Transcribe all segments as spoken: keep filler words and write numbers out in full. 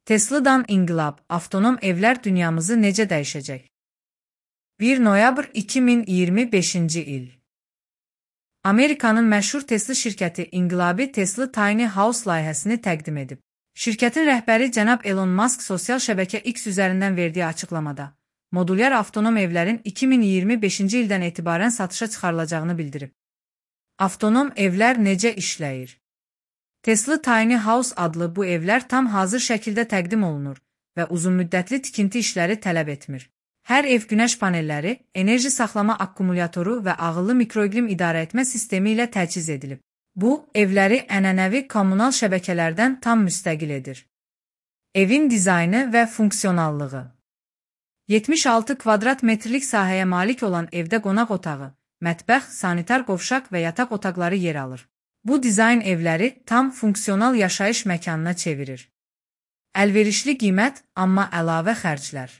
Tesla'dan inqilab, avtonom evlər dünyamızı necə dəyişəcək? bir noyabr iki min iyirmi beşinci il. Amerikanın məşhur Tesla şirkəti inqilabi Tesla Tiny House layihəsini təqdim edib. Şirkətin rəhbəri cənab Elon Musk sosial şəbəkə X üzərindən verdiyi açıqlamada, modulyar avtonom evlərin iki min iyirmi beşinci ildən etibarən satışa çıxarılacağını bildirib. Avtonom evlər necə işləyir? Tesla Tiny House adlı bu evlər tam hazır şəkildə təqdim olunur və uzunmüddətli tikinti işləri tələb etmir. Hər ev günəş panelləri, enerji saxlama akkumulatoru və ağıllı mikroiqlim idarə etmə sistemi ilə təchiz edilib. Bu, evləri ənənəvi kommunal şəbəkələrdən tam müstəqil edir. Evin dizaynı və funksionallığı. yetmiş altı kvadrat metrlik sahəyə malik olan evdə qonaq otağı, mətbəx, sanitar qovşaq və yataq otaqları yer alır. Bu dizayn evləri tam funksional yaşayış məkanına çevirir. Əlverişli qiymət, amma əlavə xərclər.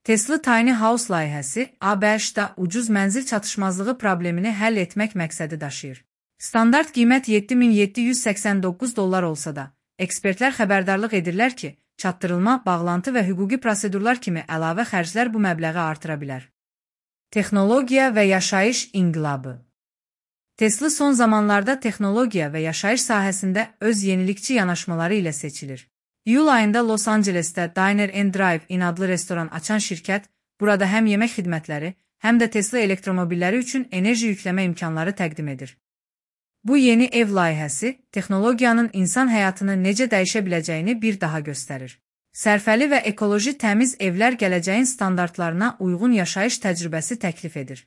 Tesla Tiny House layihəsi A B Ş-da ucuz mənzil çatışmazlığı problemini həll etmək məqsədi daşıyır. Standart qiymət yeddi min yeddi yüz səksən doqquz dollar olsa da, ekspertlər xəbərdarlıq edirlər ki, çatdırılma, bağlantı və hüquqi prosedurlar kimi əlavə xərclər bu məbləği artıra bilər. Texnologiya və yaşayış inqilabı. Tesla son zamanlarda texnologiya və yaşayış sahəsində öz yenilikçi yanaşmaları ilə seçilir. İyul ayında Los Angelesdə Diner and Drive-in adlı restoran açan şirkət, burada həm yemək xidmətləri, həm də Tesla elektromobilləri üçün enerji yükləmə imkanları təqdim edir. Bu yeni ev layihəsi, texnologiyanın insan həyatını necə dəyişə biləcəyini bir daha göstərir. Sərfəli və ekoloji təmiz evlər gələcəyin standartlarına uyğun yaşayış təcrübəsi təklif edir.